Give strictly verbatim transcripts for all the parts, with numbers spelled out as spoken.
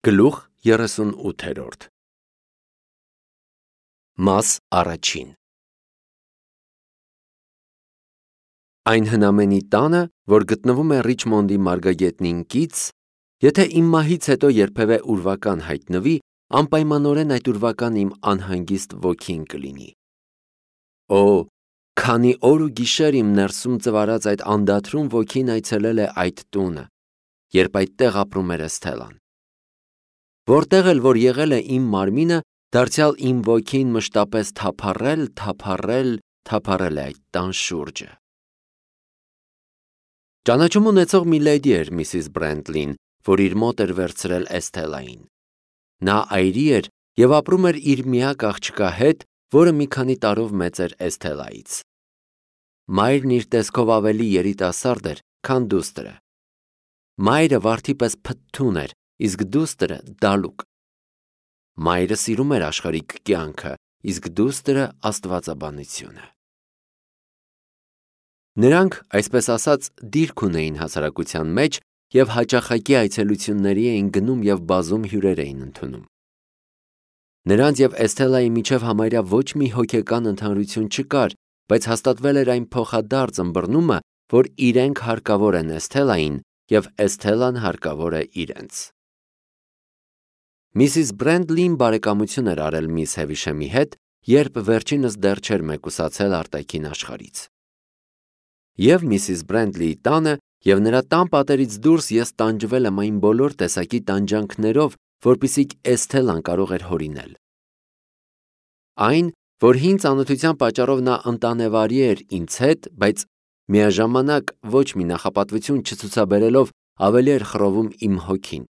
Գլուխ երեսունութերորդ Մաս առաջին Այն հնամենի տանը, որ գտնվում է Ռիչմոնդի մարգագետնին կից, եթե իմ մահից հետո երբևէ ուրվական հայտնվի, անպայմանորեն այդ ուրվական իմ անհանգիստ ոգին կլինի։ Օ, քանի օր ու գիշեր իմ ներսում ծվարած այդ անդադրուն ոգին այցելել է այդ տունը, երբ այդտեղ ապրում էր Էսթելան։ Որտեղ էլ որ եղել է իմ մարմինը, դարձյալ իմ ոգին մշտապես թափառել, թափառել, թափառել է այդ տան շուրջը։ Ճանաչում ունեցող մի լեդի էր Միսիս Բրենտլին, որ իր մոտ էր վերցրել Էսթելային։ Նա այրի էր և ապրում էր իր միակ աղջկա հետ, որը մի քանի տարով մեծ էր Էսթելայից։ Մայրն իր տեսքով ավելի երիտասարդ էր, քան դուստրը։ Մայրը վարդի պես փթթուն էր, իսկ դուստրը դալուկ։ Մայրը սիրում էր աշխարհիկ կյանքը, իսկ դուստրը աստվածաբանությունը։ Նրանք, այսպես ասած, դիրք ունեին հասարակության մեջ և հաճախակի այցելությունների էին գնում և բազում հյուրեր էին ընդունում։ Նրանց և Էսթելայի միջև համարյա ոչ մի հոգեկան ընդհանրություն չկար, բայց հաստատվել էր այն փոխադարձ ըմբռնումը, որ իրենք հարկավոր են Էսթելային և Էսթելան հարկավոր է իրենց։ Միսիս Բրենտլին բարեկամություն էր արել միս Հևիշեմի հետ, երբ վերջինս դեռ չէր մեկուսացել արտաքին աշխարհից։ Եվ Միսիս Բրենտլիի տանը և նրա տան պատերից դուրս ես տանջվել եմ այն բոլոր տեսակի տանջանքներով, որպիսիք Էսթելան կարող էր հորինել։ Այն, որ հին ծանոթության պատճառով նա ընտանեվարի էր ինձ հետ, բայց միաժամանակ ոչ մի նախապատվություն չցուցաբերելով ավելի էր խռովում իմ հոգին։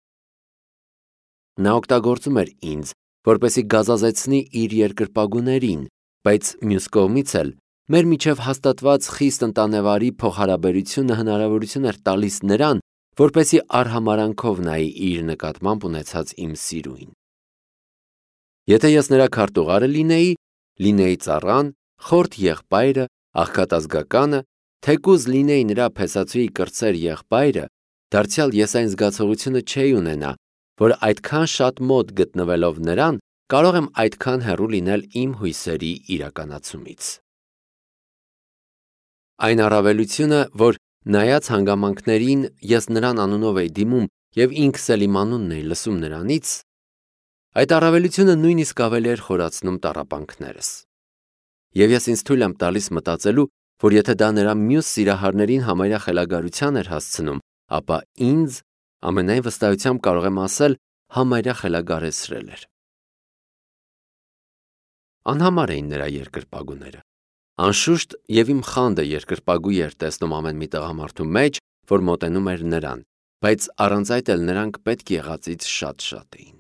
Նա օգտագործում էր ինձ, որպեսզի գազազեցնի իր երկրպագուներին, բայց մյուս կողմից էլ մեր միջև հաստատված խիստ ընտանեվարի փոխհարաբերությունը հնարավորություն էր տալիս նրան, որպեսզի արհամարհանքով նայի իր նկատմամբ ունեցած իմ սիրուին։ Եթե ես նրա քարտուղարը լինեի, լինեի ծառան, խորթ եղբայրը, աղքատազգականը, թեկուզ լինեի նրա փեսացուի կրտսեր եղբայրը, դարձյալ ես այն զգացողությունը չէի ունենա, որ այդքան շատ մոտ գտնվելով նրան, կարող եմ այդքան հեռու լինել իմ հույսերի իրականացումից։ Այն առավելությունը, որ նայած հանգամանքներին ես նրան անունով էի դիմում և ինքս էլ իմ անունն էի լսում նրանից, այդ առավելությունը նույնիսկ ավելի էր խորացնում տառապանքներս։ Եվ ես ինձ թույլ եմ տալիս մտածելու, որ եթե դա նրա մյուս սիրահարներին համարյա խելագարության էր հասցնում, ապա ինձ, ամենայն վստահությամբ կարող եմ ասել, համարյա խելագարեցրել էր։ Անհամար էին նրա երկրպագուները։ Անշուշտ և իմ խանդը երկրպագու էր տեսնում ամեն մի տղամարդու մեջ, որ մոտենում էր նրան, բայց առանց այդ էլ նրանք պետք եղածից շատ-շատ էին։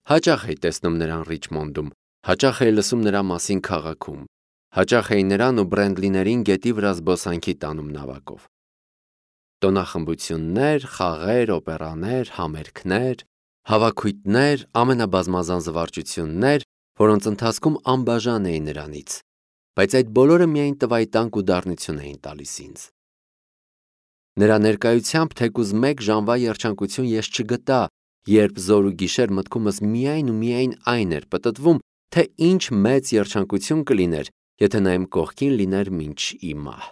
Հաճախ էի տեսնում նրան Ռիչմոնդում, հաճախ էի լսում նրա մասին քաղաքում, հաճախ էի նրան ու Բրենտլիներին գետի վրա զբոսանքի տանում նավակով։ Տոնախմբություններ, խաղեր, օպերաներ, համերգներ, հավաքույթներ, ամենաբազմազան զվարճություններ, որոնց ընթացքում անբաժան էի նրանից, բայց այդ բոլորը միայն տվայտանք ու դառնություն էին տալիս ինձ։ Նրա ներկայությամբ թեկուզ մեկ ժամվա երջանկություն ես չգտա, երբ զոր ու գիշեր մտքումս միայն ու միայն այն էր պտտվում, թե ինչ մեծ երջանկություն կլիներ, եթե նա իմ կողքին լիներ մինչ ի մահ։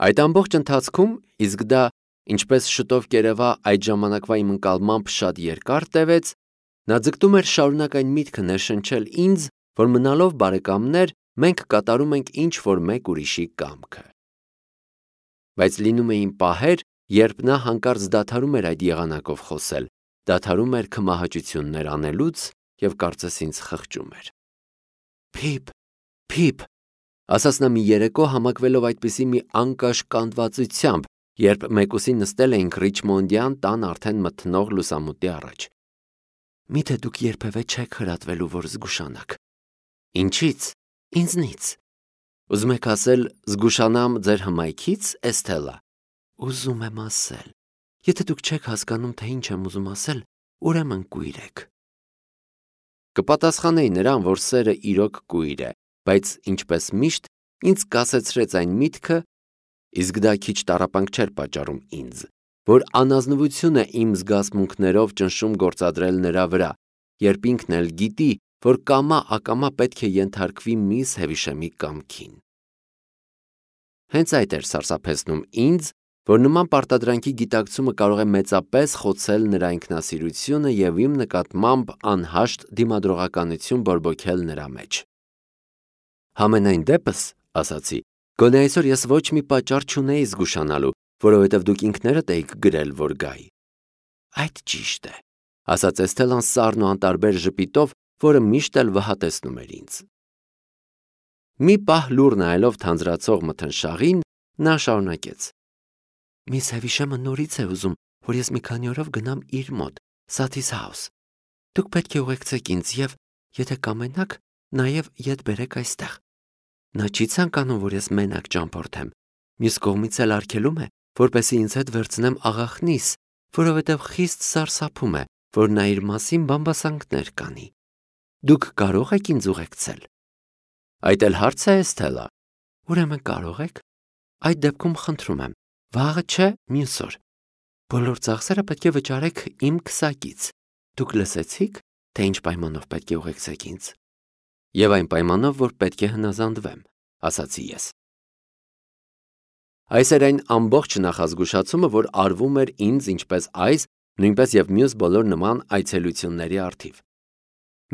Այդ ամբողջ ընթացքում, իսկ դա, ինչպես շուտով կերևա, այդ ժամանակվա իմ ընկալմամբ շատ երկար տևեց, նա ձգտում էր շարունակ այն միտքը ներշնչել ինձ, որ մնալով բարեկամներ, մենք կատարում ենք ինչ-որ մեկ ուրիշի կամքը։ Բայց լինում էին պահեր, երբ նա հանկարծ դադարում էր այդ եղանակով խոսել, դադարում էր քմահաճություններ անելուց և կարծես ինձ խղճում էր։ Փիփ, Փիփ, ասաց նա մի երեկո համակվելով այդպիսի մի անկաշկանդվածությամբ, երբ մեկուսին նստել էինք Ռիչմոնդյան տան արդեն մթնող լուսամուտի առաջ։ Միթե դուք երբևէ չեք հրատվելու, որ զգուշանաք։ Ինչի՞ց։ Ինձնից։ Ուզում եք ասել, զգուշանամ ձեր հմայքից, Էսթելա։ Ուզում եմ ասել։ Եթե դուք չեք հասկանում, թե ինչ եմ ուզում ասել, ուրեմն կույր եք։ Կպատասխանեի նրան, որ սերը իրոք կույր է, բայց ինչպես միշտ, ինձ կասեցրեց այն միտքը, իսկ դա քիչ տառապանք չէր պատճառում ինձ, որ անազնվություն է իմ զգացմունքներով ճնշում գործադրել նրա վրա, երբ ինքն էլ գիտի, որ կամա ակամա պետք է ենթարկվի միս Հևիշեմի կամքին։ Հենց այդ էր սարսափեցնում ինձ, որ նման պարտադրանքի գիտակցումը կարող է մեծապես խոցել նրա ինքնասիրությունը և իմ նկատմամբ անհաշտ դիմադրողականություն բորբոքել նրա մեջ։ Համենայն դեպս, ասացի, գոնե այսօր ես ոչ մի պատճառ չունեի զգուշանալու, որովհետև դուք ինքներդ էիք գրել, որ գայի։ Այդ ճիշտ է, ասաց Էսթելան սառն ու անտարբեր ժպիտով, որը միշտ էլ վհատեցնում էր ինձ։ Մի պահ լուռ նայելով թանձրացող մթնշաղին, նա շարունակեց. Միս Հևիշեմը նորից է ուզում, որ ես մի քանի օրով գնամ իր մոտ, Սաթիս House։ Դուք պետք է ուղեկցեք ինձ և, եթե կամենաք, նաև ետ բերեք այստեղ։ Նա չի ցանկանում, որ ես մենակ ճամփորդեմ։ Մյուս կողմից էլ արգելում է, որպեսզի ինձ հետ վերցնեմ աղախնիս, որովհետև խիստ սարսափում է, որ նա իր մասին բամբասանքներ կանի։ Դուք կարող եք ինձ ուղեկցել։ Այդ էլ հարց է, Էսթելա։ Ուրեմն կարող եք։ Այդ դեպքում խնդրում եմ, վաղը չէ, մյուս օր։ Բոլոր ծախսերը պետք է վճարեք իմ քսակից։ Դուք լսեցիք, թե ինչ պայմանով պետք է ուղեկցեք ինձ։ Եվ այն պայմանով, որ պետք է հնազանդվեմ, ասացի ես։ Այս էր այն ամբողջ նախազգուշացումը, որ արվում էր ինձ ինչպես այս, նույնպես և մյուս բոլոր նման այցելությունների առթիվ։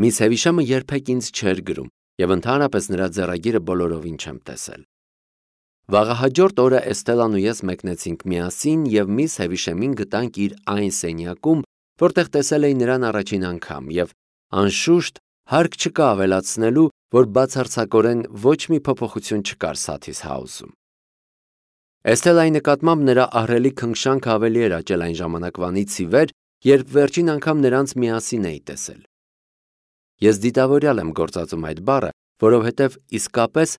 Միս Հևիշեմը երբեք ինձ չէր գրում, և ընդհանրապես նրա ձեռագիրը բոլորովին չեմ տեսել։ Վաղահաջորդ օրը Էսթելան ու ես մեկնեցինք միասին և միս Հևիշեմին գտանք իր այն սենյակում, որտեղ տեսել էի նրան առաջին անգամ, և անշուշտ հարկ չկա ավելացնելու, որ բացարձակորեն ոչ մի փոփոխություն չկար Սաթիս House-ում։ Էսթելայի նկատմամբ նրա ահռելի քնքշանքը ավելի էր աճել այն ժամանակվանից ի վեր, երբ վերջին անգամ նրանց միասին էի տեսել։ Ես դիտավորյալ եմ գործածում այդ բառը, որովհետև իսկապես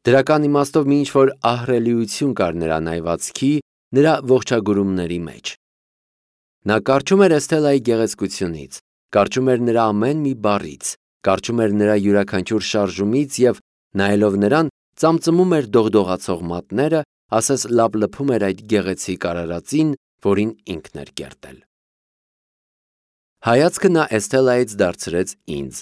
դրական իմաստով մի ինչ-որ ահռելիություն կար նրա նայվածքի, նրա ողջագուրումների մեջ։ Նա կառչում էր Էսթելայի գեղեցկությունից, կառչում էր նրա ամեն մի բառից, կառչում էր նրա յուրաքանչյուր շարժումից և, նայելով նրան, ծամծմում էր դողդողացող մատները, ասես լափլփում էր այդ գեղեցիկ արարածին, որին ինքն էր կերտել։ Հայացքը նա Էսթելայից դարձրեց ինձ,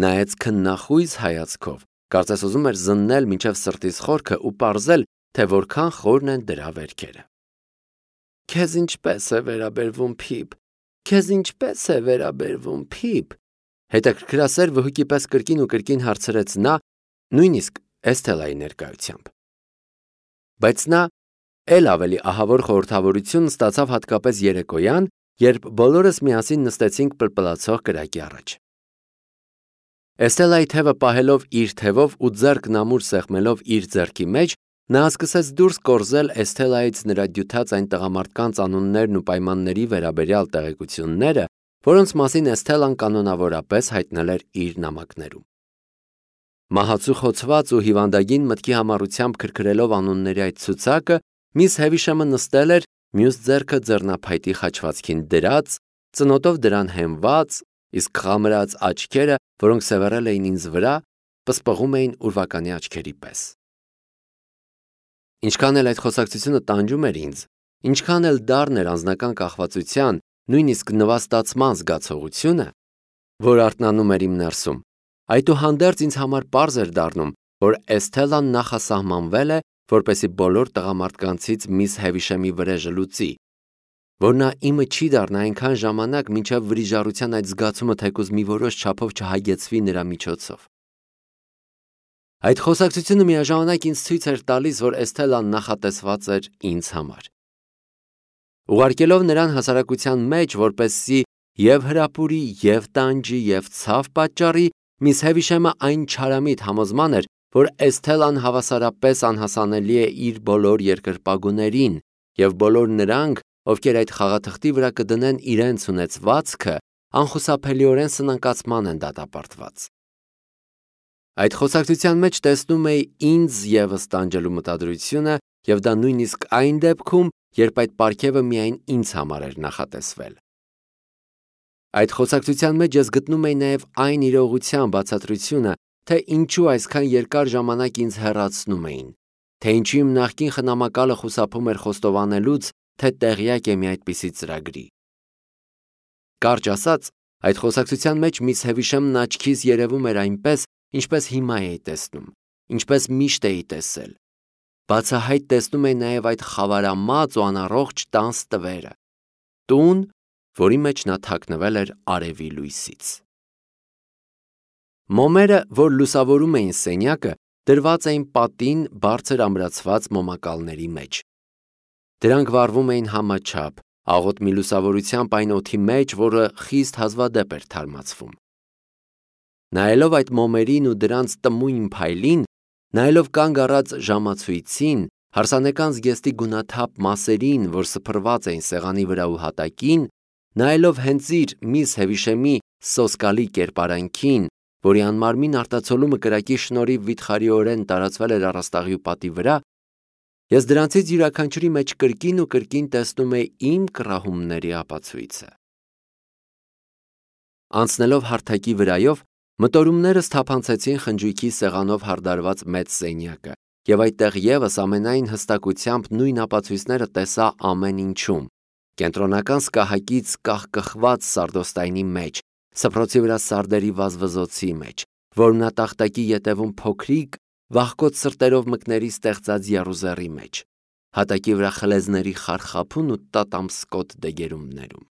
նայեց քննախույս հայացքով, կարծես ուզում էր զննել մինչև սրտիս խորքը ու պարզել, թե որքան խորն են դրա վերքերը։ Քեզ ինչպես է վերաբերվում, Փիփ, քեզ ինչպես է վերաբերվում, Փիփ, հետաքրքրասեր վհուկի պես կրկին ու կրկին հարցրեց նա, նույնիսկ Էսթելայի ներկայությամբ։ Բայց նա էլ ավելի ահավոր խորհրդավորություն ստացավ հատկապես երեկոյան, երբ բոլորս միասին նստեցինք պլպլացող կրակի առաջ։ Էսթելայի թևը պահելով իր թևով ու ձեռքն ամուր սեղմելով իր ձեռքի մեջ, նա սկսեց դուրս կորզել Էսթելայից նրա դյութած այն տղամարդկանց անուններն ու պայմանների վերաբերյալ տեղեկությունները, որոնց մասին Էսթելան կանոնավորապես հայտնել էր իր նամակներում։ Մահացու խոցված ու հիվանդագին մտքի համառությամբ քրքրելով անունների այդ ցուցակը, միս Հևիշեմը նստել էր, մյուս ձեռքը ձեռնափայտի խաչվածքին դրած, ծնոտով դրան հենված, իսկ խամրած աչքերը, որոնք սևեռել էին ինձ վրա, պսպղում էին ուրվականի աչքերի պես։ Ինչքան էլ այդ խոսակցությունը տանջում էր ինձ, ինչքան էլ դառն էր անձնական կախվածության, նույնիսկ նվաստացման զգացողությունը, որ արթնանում էր իմ ներսում, այդուհանդերձ ինձ համար պարզ էր դառնում, որ Էսթելան նախասահմանվել է, որպեսզի բոլոր տղամարդկանցից միս Հևիշեմի վրեժը լուծի, որ նա իմը չի դառնա այնքան ժամանակ, մինչև վրիժառության այդ զգացումը թեկուզ մի որոշ չափով չհագեցվի նրա միջոցով։ Այդ խոսակցությունը միաժամանակ ինձ ցույց էր տալիս, որ Էսթելան նախատեսված էր ինձ համար։ Ուղարկելով նրան հասարակության մեջ, որպեսզի և հրապուրի, և տանջի, և ցավ պատճառի, միս Հևիշեմը այն չարամիտ համոզման էր, որ Էսթելան հավասարապես անհասանելի է իր բոլոր երկրպագուներին, և բոլոր նրանք, ովքեր այդ խաղաթղթի վրա կդնեն իրենց ունեցվածքը, անխուսափելիորեն սնանկացման են դատապարտված։ Այդ խոսակցության մեջ տեսնում էի ինձ ևս տանջելու մտադրությունը, և դա նույնիսկ այն դեպքում, երբ այդ պարգևը միայն ինձ համար էր նախատեսվել։ Այդ խոսակցության մեջ ես գտնում էի նաև այն իրողության բացատրությունը, թե ինչու այսքան երկար ժամանակ ինձ հեռացնում էին, թե ինչու իմ նախկին խնամակալը խուսափում էր խոստովանելուց, թե տեղյակ է մի այդպիսի ծրագրի։ Կարճ ասած, այդ խոսակցության մեջ միս Հևիշեմն աչքիս երևում էր այնպես, ինչպես հիմա էի տեսնում, ինչպես միշտ էի տեսել։ Բացահայտ տեսնում էի նաև այդ խավարամած ու անառողջ տան ստվերը, տուն, որի մեջ նա թաքնվել էր արևի լույսից։ Մոմերը, որ լուսավորում էին սենյակը, դրված էին պատին բարձր ամրացված մոմակալների մեջ։ Դրանք վառվում էին համաչափ, աղոտ մի լուսավորությամբ այն օդի մեջ, որը խիստ հազվադեպ էր թարմացվում։ Նայելով այդ մոմերին ու դրանց տմույն փայլին, նայելով կանգ առած ժամացույցին, հարսանեկան զգեստի գունաթափ մասերին, որ սփռված էին սեղանի վրա ու հատակին, նայելով հենց իր միս Հևիշեմի սոսկալի կերպարանքին, որի անմարմին արտացոլումը կրակի շնորհիվ վիթխարիորեն տարածվել էր առաստաղի ու պատի վրա, ես դրանցից յուրաքանչյուրի մեջ կրկին ու կրկին տեսնում էի իմ կռահումների ապացույցը։ Անցնելով հարթակի վրայով, մտորումներս թափանցեցին խնջույքի սեղանով հարդարված մեծ սենյակը, և այդտեղ ևս ամենայն հստակությամբ նույն ապացույցները տեսա ամեն ինչում, կենտրոնական սկահակից կահկխված սարդոստայնի մեջ, սփռոցի վրա սարդերի վազվզոցի մեջ, որմնատախտակի ետևում փոքրիկ, վախկոտ սրտերով մկների ստեղծած եռուզեռի մեջ, հատակի վրա խլեզների խարխափուն ու տատամսկոտ դեգերումներում։